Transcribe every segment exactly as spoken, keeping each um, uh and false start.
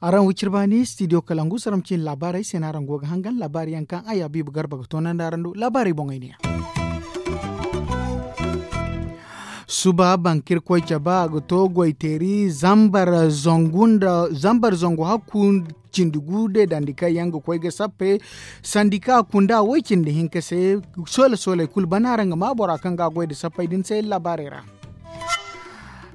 Araŋ wicir baani studio kalangu saraŋ cine laabaarey se no araŋ go ga hangan laabaari yaŋ kaŋ ay habiibu garba ga toonandi araŋ do laabaarey boŋey ne ya. Suba bankirkoy cabe a ga to goyteeri zambar zangu hakku cindi gu deedandi kaŋ yaŋ ga koy ga sappe sandika kunda way cindi hinka se. Soole sooley kulu bana araŋ ga ma bora kaŋ ga a goy nda sappey din se laabaarey ra.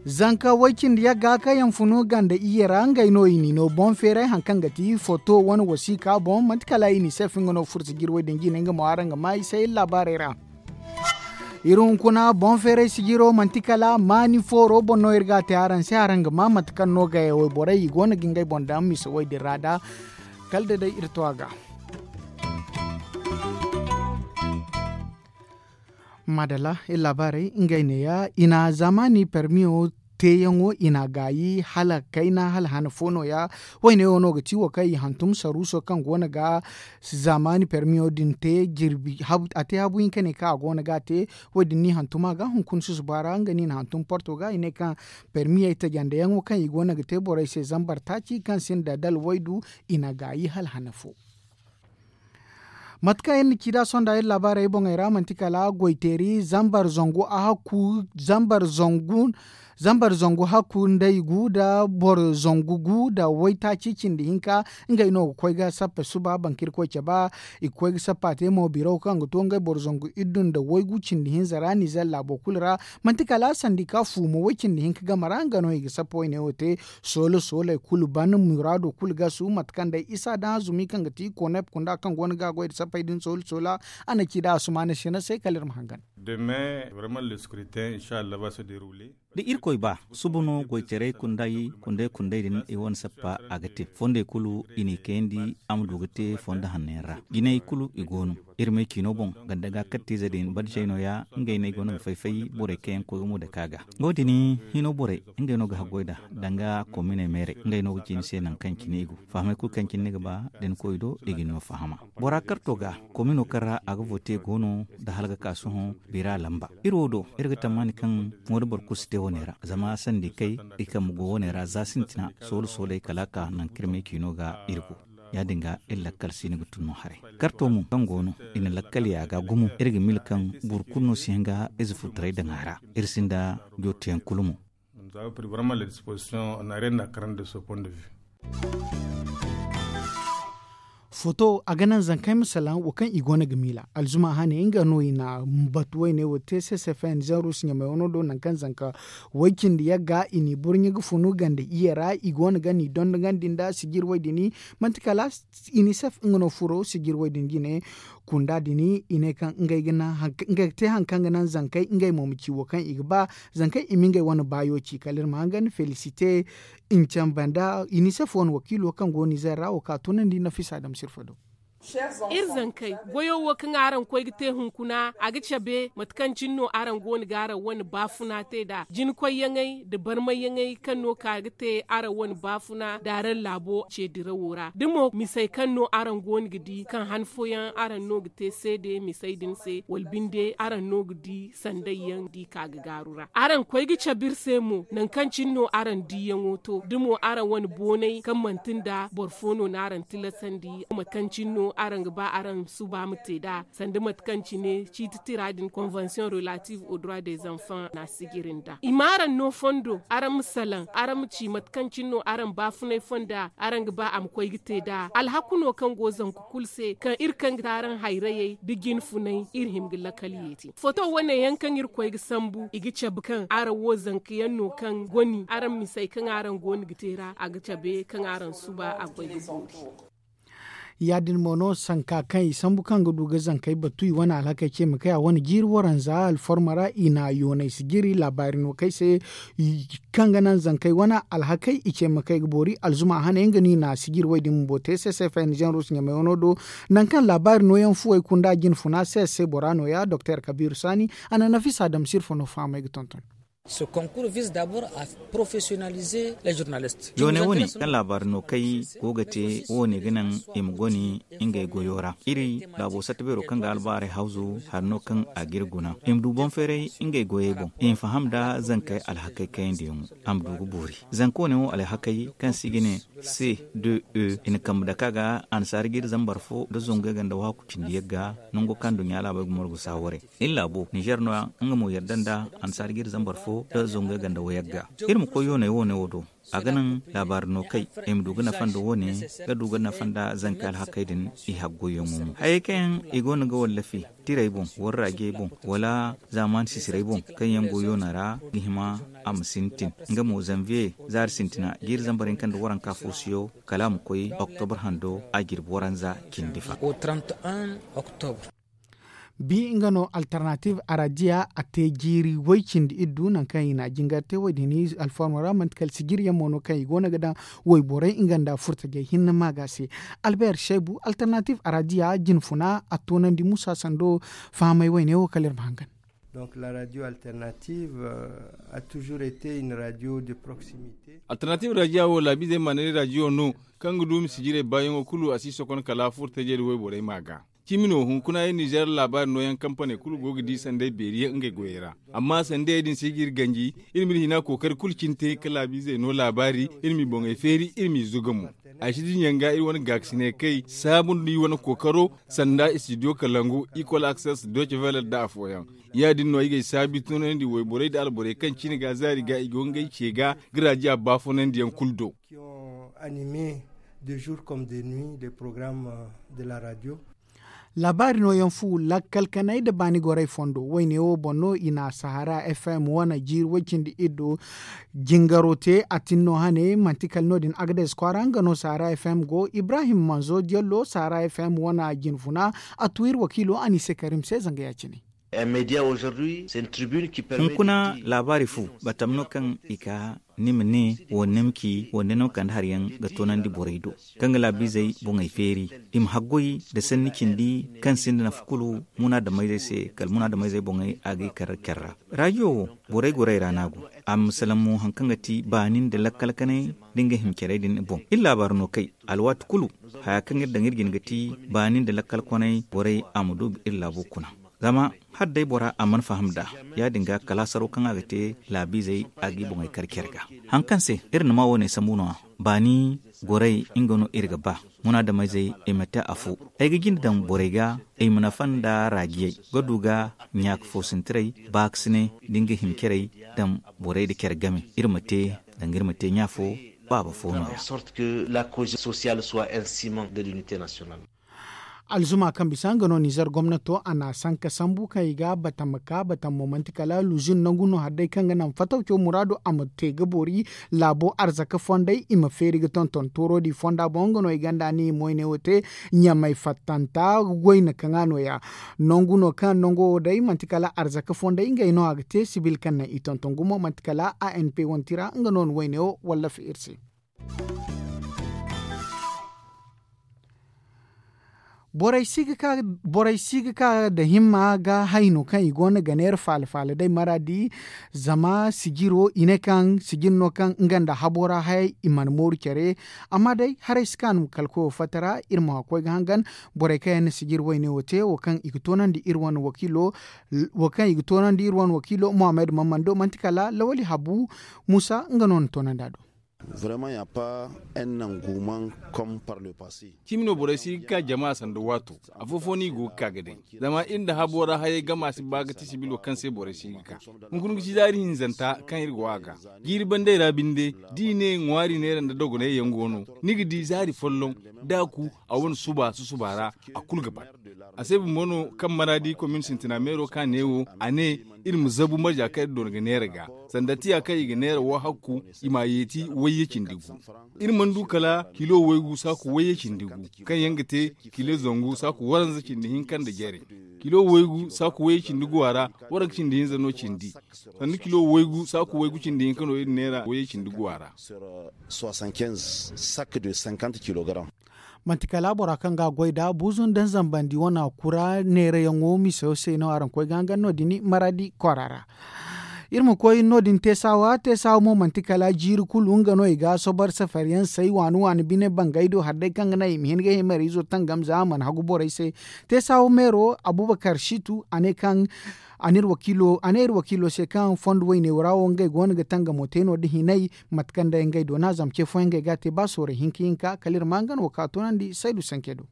Zanka way cindi yagga kaŋ yaŋ funu ganda iyye ra ngey no i n'i no boŋ feeray hari kaŋ ga ti foto wane wasiika boŋ manti kala i n'i se fi nga no fursi jirwey din jine nga mo araŋ ga ma i se iri laabaarey ra. Iri hunkuna boŋ feeray sijiro manti kala maani fooro boŋ no iri ga a te araŋ se araŋ ga ma mate kaŋ no gayey wayborey i go no ga ngey boŋ daŋ mise way din ra da kala da day iri to a ga. Maadalla iri laabaarey ngey neeya i na zaamaani permiyo teeyaŋo i na a gaayi hala kayna hala hana fo nooya. Wayne wo no ga ti wo kaŋ i hantum saruuso kaŋ go no ga zaamaani permiyo din te jirbi a te habu hinka ne kaŋ a go no ga a te. Wo- din no i hantum a ga hunkuna susuba ra nga no i na hantum porto ga i ne kaŋ permiyey tajandeyaŋo kaŋ i go no ga te borey se zambar taaci kaŋ sinda dala waydu i na a gaayi hala hana fo. Mate kaŋ iri na ci nd'a sonda iri laabaarey boŋey ra manti kala goyteeri zambar zangu hakku zambar zangu hakku nda i gu nda boro zangu gu nda waytaaci cindi hinka. Ngey no ga koy ga sappe suba bankirkoy cabe i ga koy ga sappa te mo biro kaŋ ga to ngey boro zangu iddu nda waygu cindi hinza ra nizer laabo kulu ra. Manti kala sandika fu mo way cindi hinka game ra nga no i ga sappa wayne wo te. Soole sooley kulu ban muraado kulu gasu mate kaŋ day isa daŋ azumi kaŋ ga ti konep kunda kaŋ go no ga a goy nda sappey din soole soola. A na ci nd'a asumaana sina se kala iri ma hangan. Demain vraiment le scrutin inshallah va se derouler. Da irkoy ba suba no goytaray kunday kunday din i wane sappa a ga te fondey kulu i n'i kayandi a ma du ga te fondo hanno yaŋ ra jinay kulu i go no. Iri may ciino boŋ ganda ga kattiize din badisey nooya ngey no ay go no ga fay-fay borey kaŋ yaŋ koy ga mo dake a ga. Wo- din hino borey ngey no ga haggoy nd'a danga kominey meerey ngey no ga ci ni se nangu kaŋ cine i go. Fahamey kulu kaŋ cine ni ga ba da ni koy do i ga ni no fahama. Bora karto ga komino kaŋ ra a ga vote go no nda hala ga ka sohõ bira lamba. Iri wo do iri ga tammaani kaŋ mo da boro kulu si te wane ra zama sandi kay i kambe go wane ra za sintina soolu sooley kala a ka nangu kaŋ iri may ciino ga iri go. Ya- din ga iri lakkal si ni ga tun no haray. Karto mo kaŋ go no i na lakkal ya ga gumo iri ga mila kaŋ boro kulu no si hin ga ize furtaray daŋ a ra. Iri sinda jootiyaŋ kulu mo. Foto a ga naŋ zankey ma salaŋ wo kaŋ i go no ga miila alzuma hane nga no i na batu wayne wo te ccfn zanrus ɲamay wano do nangu kaŋ zanka way cindi yagga i n'i burɲe ga funu ganda iyye ra i go no ga n'i dondogandi nda sijir way din. Manti kala inisef nga no furo sijir way din jine. Kunda din i ne kaŋ ngey ga te hari kaŋ ga naŋ zankey ngey mo ma ci wo kaŋ i ga ba zankey i ma ngey wane baayo ci kala iri ma hangan felisite. Ncamba nda inisef wane wakiilo kaŋ go nizer ra wo ka tunandi nafisa dam sirfa do. Iri zankey goyo wo kaŋ araŋ koy ga te hunkuna a ga cabe mate kaŋ cine no araŋ go no ga araŋ wane baafuna te nd'a jinkoyyaŋey nda barmayyaŋey kaŋ no ka ga te araŋ wane baafuna nda araŋ laabo ce dirawo ra da mo misey kaŋ no araŋ go no ga di kaŋ han fooyaŋ araŋ no ga te seede misey din se wala binde araŋ no ga di sandayyaŋ da i ka ga gaaru ra araŋ koy ga cabe iri se mo nangu kaŋ cine no araŋ diiyaŋo to da mo araŋ wane boonay kaŋ manti nda boro fo no n'araŋ tilasandi mate kaŋ cine no araŋ ga ba araŋ suba ma te nd'a sanda mate kaŋ cine ciiti tira din convention relative au droit des enfants na sijiri nda i ma araŋ no fondo araŋ ma salaŋ araŋ ma ci mate kaŋ cine no araŋ baafunay fonda araŋ ga ba a ma koy ga te nd'a alhaku no kaŋ go zanku kulu se kaŋ iri kaŋ ga te araŋ hayrayey da jinfunay iri hin ga lakal yeeti foto wane yaŋ kaŋ iri koy ga sambu i ga cabe kaŋ araŋ wo zanka yaŋ no kaŋ goni araŋ misey kaŋ araŋ go no ga te ra a ga cabe kaŋ araŋ suba a ga koy ga boori. Ya- din mo no sanka kaŋ i sambu kaŋ ga du ga zankey batu i wane alhakey ce ma kay a wane jiiri waranza alforma ra i na yoonay sijiri laabaari no kay se kaŋ ga naŋ zankey wane alhakey i ce ma kay ga boori alzuma hane nga no i na sijiri way din bumbo te ccfn zanrus ɲamay wano do. Nangu kaŋ laabaari nooyaŋ fuwey kunda jinfuna se se bora nooya doktor kabiiru saani a na nafisa dam sirfa no fahamay ga tonton. Yoone wo- ne kaŋ laabaari no kay go ga te wo- ne ga naŋ i ma goni ngey goyo ra iri laabo satta beero kaŋ ga albaarey hawzu hari no kaŋ a ga iri guna i ma du boŋ feeray ngey goyey boŋ i ma faham nda zankey alhakey kayandiyaŋo a ma du ga boori. Zanka wo- ne wo alhakey kaŋ se i ga ne c deux e i na kambe dake a ga annasaara ga iri zambar fo nda zangu yagga nda waaku cindi yagga nango kaŋ nduɲɲa laabey ga morgu saawaray. Iri laabo ninzeer no- ya nga mo yadda nda annasaara ga iri zambar fo nda zangu yagga nda wayagga. Iri ma koy yooney wo- ne wo do a ga naŋ laabaari no kay i ma du ga nafa nda wo- ne ga du ga nafa nda zanka alhakey din i haggoyyaŋo mo hayey kaŋ yaŋ i go no ga wallafi tirey boŋ wala raajey boŋ wala zaamaani sisirey boŋ kaŋ yaŋ go yoona ra ga hima a ma sintin. Nga mo zanviye zaari sintina jiiri zambar hinka nda waranka foosuyo kala a ma koy oktobra hando a jirbi waranza cindi fa. Bi nga no alternative arajiya a te jiiri way cindi iddu nangu kaŋ i na a jingar te wo- din alformo ra manti kala sijiri yaŋ mo no kaŋ i go no ga daŋ wayborey nga nda furtajey hinne maaga se. Albert shaybu alternative arajiya jinfuna a toonandi musa sando fahamay wayne wo kala iri ma hangan. Donc la radio alternative a toujours été une radio de proximité. Alternative rajiya wo laabiizey ma ne rajiyo no kaŋ ga duumi sijirey baayaŋo kulu a si sokon kala furtajey da wayborey maaga. Cimi no hunkuna iri nizeer laabaari nooyaŋ kampaney kulu go ga di sanday beeri yaŋ ngey goyey ra. Amma sandayey din si ga iri ganji iri m'iri hina kookari kulu cine te ka laabiizey no laabaari iri m'i boŋey feeri iri m'i zuga mo. Ay si dinya ga iri wane gaakasiney kay saabu nda i wane kookaro sanda istidiyo kalangu ikol akses doce veler nda afooyaŋ. Ya- din no i g'ay saabi tunandi wayborey nda alborey kaŋ cine ga zaari ga i go ngey ce ga ga raajiya baafunandiyaŋ kulu do. Animé de jour comme de nuit les programmes de la radio. Laabaari nooyaŋ fu lakkal kanay nda baani gorey fondo wayne wo boŋ no i na sahara fm wane jiiri way-cindi-iddo jingaro te a tin no hane manti kala no- din agades kwaara nga no sahara fm go ibrahim manzo diallo sahara fm wane jinfuna a tu iri wakiilo anise karim se zanga ya- cine. Hunkuna laabaari fu batam no kaŋ i ka ni ma ne wande ni ma ci wande ni ma kande hari yaŋ ga toonandi borey do kaŋ ga laabiizey boŋey feeri i ma haggoy nda sanni cindi kaŋ sinda nafa kulu munaadamayzey se kala munaadamayzey boŋey a ga i kar care ra. Raajiyo wo borey gorey ra no a go a ma salaŋ mo hari kaŋ ga ti baani nda lakkal kanay nda nga hima carey din boŋ iri laabaari no kay alwaati kulu haya kaŋ iri daŋ iri jine ga ti baani nda lakkal kanay borey a ma du iri laabo kuna. Zama hala day bora a mana faham nd'a ya- din ga kala hasaro kaŋ a ga te laabiizey a g'i boŋey kar care ga. Hari kaŋ se iri na ma wo- ne sambu no- ya baani gorey nga no iri ga ba munaadamayzey i ma te afo. Ay ga jinde daŋ borey ga i ma nafa nda raajiyey ga du ga ɲaaka foosintiray baakasinay nda nga hima carey daŋ borey nda care game iri ma te danga iri ma te ɲa fo baaba fo no- ya. Alzuma kaŋ bisa nga no nizer gomnato a na a sanka sambu kaŋ i ga batam ma ka batam mo manti kala luzin nangu no hari day kaŋ ga naŋ fatawco muraado a ma te ga boori laabo arzaka fondey i ma feeri ga tonton toorodi fonda boŋ nga no i gonda ni moyne wo te ɲamay fattanta goyne kaŋ a no- ya. Nangu no kaŋ nango wo day manti kala arzaka fondey ngey no a ga te sibil kaŋ naŋ i tonton gumo manti kala anp wane tira nga no ni wayne wo wallafa iri se. Borey si ga ka borey si ga ka nda himma ga hayno kaŋ i go no ga neera faala faala day maraadi. Zama sijiro i ne kaŋ sijir no kaŋ nga nda habo ra hayey i mana mooru care. Amma day haray si kaanu kala koyo fatta ra iri ma koy ga hangan borey kaŋ yaŋ na sijir wayne wo te wo kaŋ i ga toonandi iri wane wakiilo wo kaŋ i ga toonandi iri wane wakiilo mohammed mammando manti kala lawali habu muusa nga no na toonandi a do. Vraiment ya pa en nangu man kom par le passe. Cimi no borey si ga ka jama sanda waato. Afo-fo no i go ga ka ga day zama iri nda habo ra hayey gama si ba ga ti sibilo kaŋ se borey si ga ka. Hunkuna ga ci zaari hinzanta kaŋ iri go a ga jiiri bandey ra binde. Da i ne ŋwaari neera nda dogonay yaŋ go no ni ga di zaari folloŋ da a ku a wane suba susuba ra a kulu ga ban. A se bumbo no kaŋ maraadi komin sintina meero ka ne wo a ne iri ma zabu marja kaŋ iri doona ga neera ga sanda tiya kaŋ i ga neera wo hakku i m'a yeeti wayye cindi gu. Iri mana du kala kilo waygu saaku wayye cindi gu kaŋ yaŋ ga te kilo zangu saaku waranza cindi hinka nda jare. Kilo waygu saaku wayye cindi gu a ra waranka cindi hinza no cindi. Sanda kilo waygu saaku waygu cindi hinka no iri neera wayye cindi gu a ra. Manti kala bora kaŋ ga a goy nd'a buuzu nda nzambandi wane kura neerayaŋo misayo se no araŋ koy ga hangan no- din maraadi kwaara ra. Iri ma koy no- din teesaawa teesaawa mo manti kala jiiri kulu nga no i ga sobar safariyaŋ say waani waani bine bangay do hari day kaŋ ga naŋ i ma hin ga himariizo tangam za a mana hagu borey se. Teesaawa meero abubakar situ a ne kaŋ a ne iri wakiilo se kaŋ fondo wayne ra wo ngey go no ga tangamo te no- din hinay. Mate kaŋ day ngey doona zama ce fooyaŋ ngey ga a te ba sooray hinka hinka kala iri ma nga no wo ka toonandi saydu sanke do.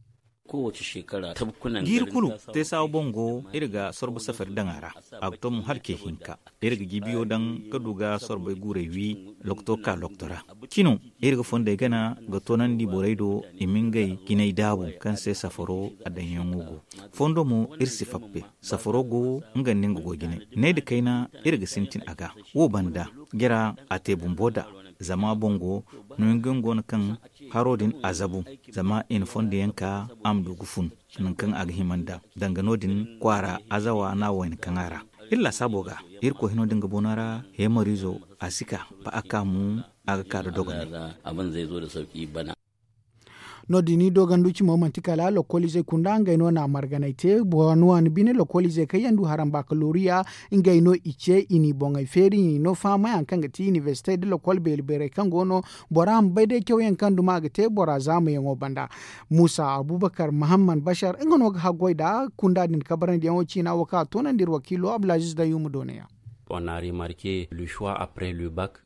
Jiiri kulu, teesaawa boŋ go iri ga sorbo safari daŋ a ra. A ga to mo hala ce hinka. Iri ga jibiyo daŋ ka du ga sorbey guurey wi, lokto ka lokto ra. Cino, iri ga fondey gana ga toonandi borey do i ma ngey jinay daabu kaŋ se safaro a daŋyaŋo go. Fondo mo, iri si fappe. Safaro go nga nda nga go jinay. Ney da kayna, iri ga sintin a ga. Wo banda, jara a te bumbo da. Zama boŋ go, no nga yaŋ go no kaŋ haro din a zabu. Zama i na fondo yaŋ ka a ma du ga fun, nangu kaŋ a ga hima nd'a. Danga no- din kwaara azawa no a wayna kaŋ a ra. Iri laasaabo ga, iri koy hino din ga boona ra, heemariizo a si ka ba a ka mo, a ga ka da dogonay. No- din i doogandu cimo manti kala lokoliizey kunda ngey no na a marganay te. Waani waani bine lokoliizey kaŋ yaŋ du haram bakaloriya, ngey no i ce i n'i boŋey feeri i n'i no fahamay hari kaŋ ga ti inibersite nda lokol beeri beerey kaŋ go no. Bora ma bay day cawyaŋ kaŋ duma ga te bora zaamayaŋo banda. Muusa abubakar mahamman bashar nga no ga haggoy nd'a kunda din kabarandiyaŋo ciina wo kaŋ a toonandi iri wakiilo abdulaziiz dayyuma doona yaŋ.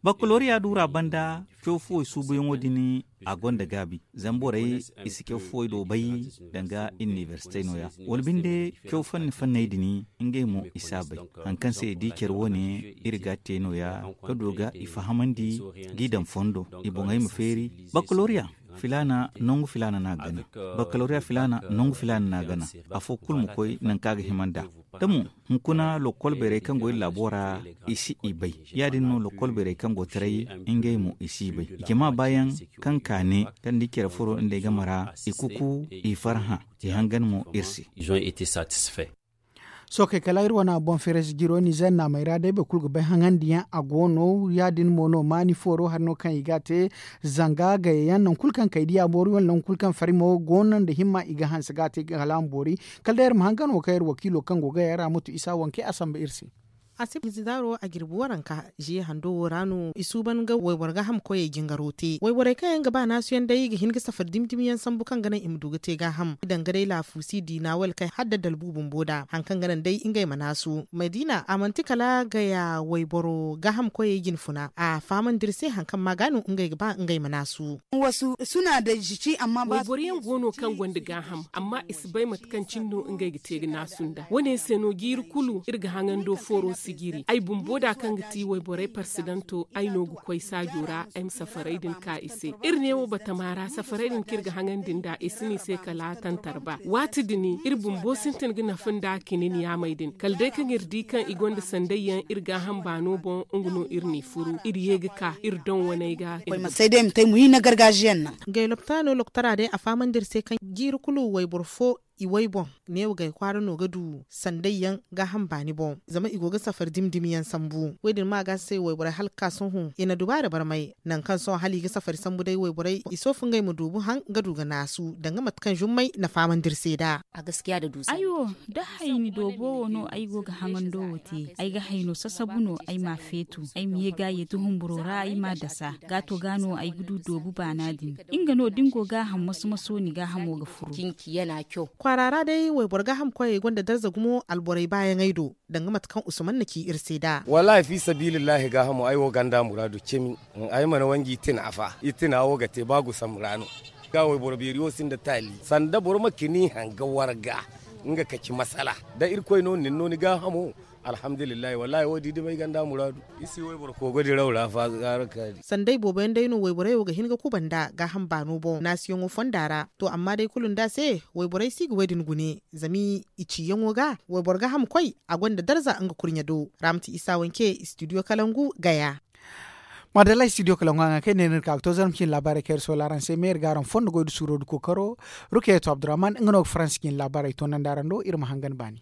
Bakaloriya duura banda, caw fuwey suubuyaŋo din a gonda gaabi. Zama borey i si caw fuwey do bay, danga inibersite nooya wala binde caw fanni fanney din, ngey mo i si a bay. Hari kaŋ se i di care wo- ne, iri ga a te nooya ka du ga i fahamandi, g'i daŋ fondo, i boŋey ma feeri. Bakaloriya filaana nangu filaana no a gana. Bakaloriya filaana nangu filaana no a gana. Afo kulu ma koy nangu kaŋ a ga hima nd'a. Da mo, hunkuna lokol beerey kaŋ go iri laabo ra, i si i bay. Ya- din no lokol beerey kaŋ go taray, ngey mo i si i bay. Jama baayaŋ kaŋ ka ne kaŋ da i care furo nd'ey game ra, i kuku, i farhã, i hangan mo iri se. Sookey kala iri wane boŋ feerayze jiro nizer naamey ra day boro kulu ga bay haŋandiyaŋ a go no. Ya- din mo no maani fooro hari no kaŋ i ga a te. Zanga gayayaŋ nangu kulu kaŋ kay diya boori wala nangu kulu kaŋ fari mo go no nda himma i ga hanse ga a te kala a ma boori. Kala day iri ma hangan wo kaŋ iri wakiilo kaŋ go gaya ra mutu isa wanke a samba iri se. A si bizidaaro a jirbi waranka ziye hando wo ra no i suuban ga wayboro gaaham koyey jingaro te wayborey kaŋ yaŋ ga ba naasuyaŋ day ga hin ga safari dimi dimi yaŋ sambu kaŋ ga naŋ i ma du ga te gaaham danga day laafuusi diina wala kay hala da dalbu bumbo nd'a hari kaŋ ga naŋ day ngey ma naasu madiina a manti kala gaya wayboro gaaham koyey jinfuna a fahamandi iri se hari kaŋ ma ga no ngey ga ba ngey ma naasu. Wayboro yaŋ go no kaŋ gonda gaaham amma i si bay mate kaŋ cine no ngey ga te ga naasu nd'a wo- ne se no jiiri kulu iri ga haŋando fooro sijiri ay bumbo da kaŋ ga ti wayborey parsidanto ay no ga koy saajo ra ay ma safaray din ka i se. Iri neewo batama ra safaray din kaŋ iri ga haŋandi nd'a i si no i se kala tantarba waati din iri bumbo sintin ga nafa nda kinin yaamey din kala day kaŋ iri di kaŋ i gonda sanday yaŋ iri gaaham baano boŋ nga no iri n'i furu iri ye ga ka iri doŋ waney ga. Koy ma say day ma te ay ma wi na gargajiyaŋ naŋ. Ngey lopitaano loktara day a fahamandi iri se kaŋ jiiri kulu wayboro fo i way boŋ neewo gay kwaara no ga du sanday yaŋ gaaham baani boŋ zama i go ga safari dimi dimi yaŋ sambu wo- din ma ga se wayborey hala ga ka sohõ i na dubaara barmay nangu kaŋ sohõ hala i ga safari sambu day wayborey i soofu ngey ma doobu haŋ ga du ga naasu danga mate kaŋ zummey na fahamandi iri se nd'a. Ay wo da hayni doobo wo no ay go ga haŋando wo te ay ga hayno sasabu no ay m'a feetu ay ma ye ga ye duhumburo ra ay m'a dasa gaato ga no ay ga du doobu baana din. Nga no da ni go gaaham maso-maso ni gaahamo ga furo. Kwaara ra day wayboro gaaham koyey gonda darza gumo alborey baayaŋey do danga mate kaŋ usman na ci iri se nd'a. Wallaahi fi sabiilillahi gaahamo ay wo ganda muraadu cimi. Ay mana wanji itina fa itina wo ga te ba gusa muraano. Ga wayboro beeri wo sinda taali sanda boro ma kini hanga warga nga kaci masala da irkoy no nin no ni gaahamo. Alhamdulillahi wallaahi wo- di dima ay ganda muraadu. I si wayboro kogo diraw ra fa gaara kaari. Sanday boobo yaŋ day no wayborey wo ga hin ga kuba nda gaaham baano boŋ naasiyaŋo fonda ra to amma day kulu nda se wayborey si ga wo- din gune zama i ciyaŋo ga wayboro gaaham koy a gonda darza nga kurɲe do. Raamati isa wanke studio kalangu gaya. Madalla studio kalangu haŋa kaŋ ay ne no iri ka ga to zarma cine laabaarey kaŋ iri soola araŋ se me iri ga araŋ fondo goy da suuro da kookaro. Rukeyeto abdurrahman nga no ga faransi cine laabaarey toonandi araŋ do iri ma hangan baani.